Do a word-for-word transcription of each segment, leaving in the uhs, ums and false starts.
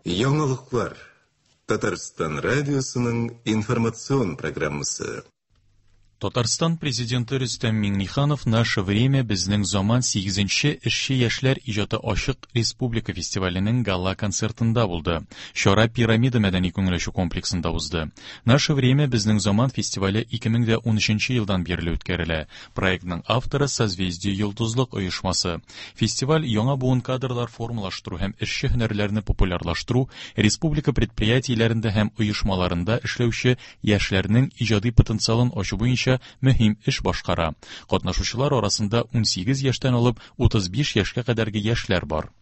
Яңалыклар. Татарстан радиосының информацион программасы. Татарстан президенты Рөстәм Миңнеханов «Наше время» безнең заман сигезенче эшче яшьләр иҗаты ачык республика фестиваленең гала-концертында булды. Чара Пирамида мәдәни күңел ачу комплексында узды. «Наше время» безнең заман фестивале ике мең дә унөченче елдан бирле үткәрелә. Проектның авторы Созвездие Йолдызлык оешмасы. Фестиваль яңа буын кадрлар формалаштыру һәм эшче һөнәрләрне популярлаштыру, республика предприятиеләрендә һәм оешмаларында эшләүче яшьләрнең иҗади потенциалын ачу буенча мөһим эш башкара. Катнашучылар арасында унсигез яшьтән алып утыз биш яшькә кадәрге яшьләр бар.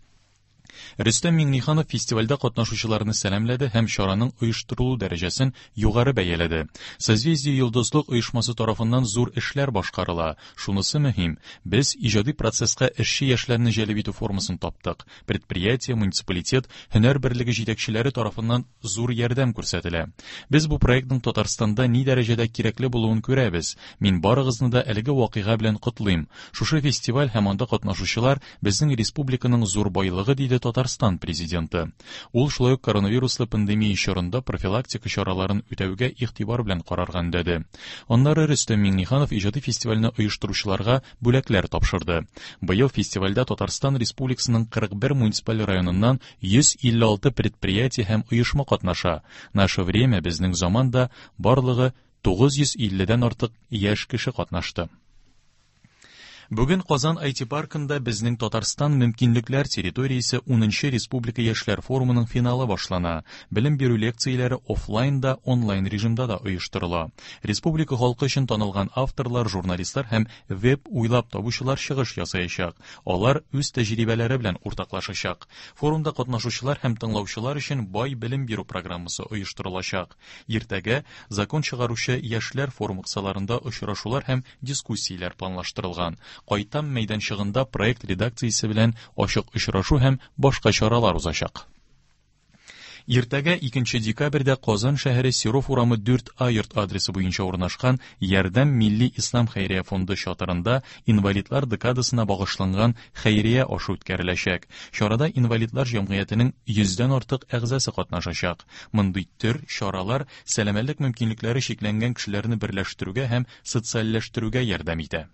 Рөстәм Миңнеханов фестивальдә катнашучыларны сәламләде һәм чараның оештырылу дәрәҗәсен югары бәяләде. Созвездие Йолдызлык оешмасы тарафыннан зур эшләр башкарыла. Шунысы мөһим, без иҗади процесска эшче яшьләрне җәлеп итү формасын таптык. Предприятие, муниципалитет, һөнәр берлеге җитәкчеләре тарафыннан зур ярдәм күрсәтелә. Без бу проектның Татарстанда ни дәрәҗәдә кирәкле булуын күрәбез. Мин барыгызны да әлеге вакыйга белән котлыйм. Шушы фестиваль һәм анда катнашучылар безнең республиканың зур байлыгы, диде Татарстан президенты. Ул шулай ук коронавируслы пандемия чорында профилактика чараларын үтәүгә игътибар белән карарга өндәде. Аннары Рөстәм Миңнеханов иҗади фестивальне оештыручыларга бүләкләр тапшырды. Быел фестивальдә Татарстан Республикасының кырык бер муниципаль районыннан йөз илле алты предприятие һәм оешма катнаша. Наше время безнең заманда барлыгы тугыз йөз илледән артык яшь кеше катнашты. Бүген Казан ай ти паркында безнең Татарстан мөмкинлекләр территориясе унынчы Республика яшьләр форумының финалы башлана. Белем бирү лекцияләре офлайн да, онлайн режимда да оештырыла. Республика халкы өчен танылган авторлар, журналистлар һәм веб уйлап табучылар чыгыш ясаячак. Алар үз тәҗрибәләре белән уртаклашачак. Форумда катнашучылар һәм тыңлаучылар өчен бай белем бирү программасы оештырылачак. Иртәгә закон чыгаручы яшьләр форумы кысаларында очрашулар һәм дискуссияләр планлаштырылган. Кайтам мәйданчыгында проект редакциясе белән ачык очрашу һәм башка чаралар узачак. Иртәгә икенче декабрьдә Казан шәһәре Серов урамы дүрт А йорт адресы буенча урнашкан Ярдәм милли ислам хәйрия фонды чатырында инвалидлар декадасына багышланган хәйрия ашы үткәреләчәк. Чарада инвалидлар җәмгыятенең йөздән артык әгъзасы катнашачак. Мондый төр чаралар сәламәтлек мөмкинлекләре чикләнгән кешеләрне берләштерүгә һәм социальләштерүгә ярдәм итә.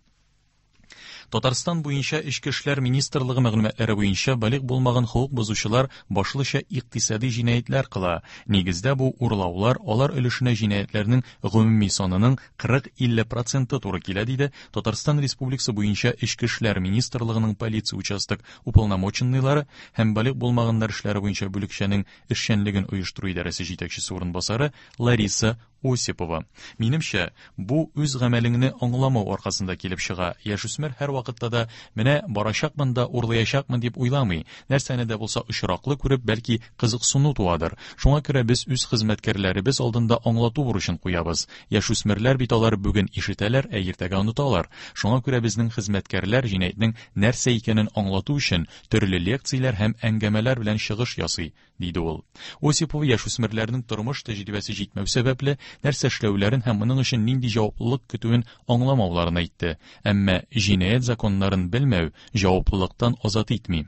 Татарстан буенча Эчке эшләр министрлыгы мәгълүматлары буенча балигъ булмаган хокук бозучылар башлыча икътисади җинаятьләр кыла. Нигездә бу урлаулар алар өлешенә җинаятьләрнең гомуми санының кырык-илле проценты туры килә, диде Татарстан Республикасы буенча Эчке эшләр министрлыгының полиция участок уполномоченныйлары һәм балигъ булмаганнар эшләре буенча бүлекчәнең эшчәнлеген оештыру идарәсе җитәкчесе урынбасары Лариса Осипова. Минемчә, бу үз гамәлеңне аңламау аркасында килеп чыга. Яшүсмер һәр вакытта да менә барачакмын да урлаячакмын дип уйламый. Нәрсәне дә булса очраклы күреп, бәлки кызыксыну туадыр. Шуңа күрә без үз хезмәткәрләребез алдында аңлату бурычын куябыз. Яшүсмерләр бит алар бүген ишетәләр, ә иртәгә оныталар. Шуңа күрә безнең хезмәткәрләр җинаятьнең нәрсә икәнен аңлату өчен төрле лекцияләр һәм әңгәмәләр белән чыгыш ясый, диде ул. Осипова яшүсмерләрнең тормыш тәҗрибәсе җитмәү сәбәпле нәрсә эшләүләрен һәм моның өчен нинди җаваплылык көтүен аңламауларын әйтте. Әмма җинаять законнарын белмәү җаваплылыктан азат итми.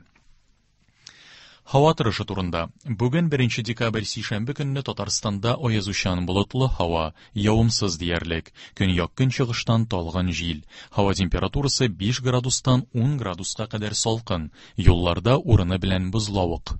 Һава торышы турында. Бүген беренче декабрь сишәмбе көнне Татарстанда аязучан болытлы һава, явымсыз диярлек. Көньяк-көнчыгыштан талгын җил. Һава температурасы биш градустан ун градуска кадәр салкын. Юлларда урыны белән бозлавык.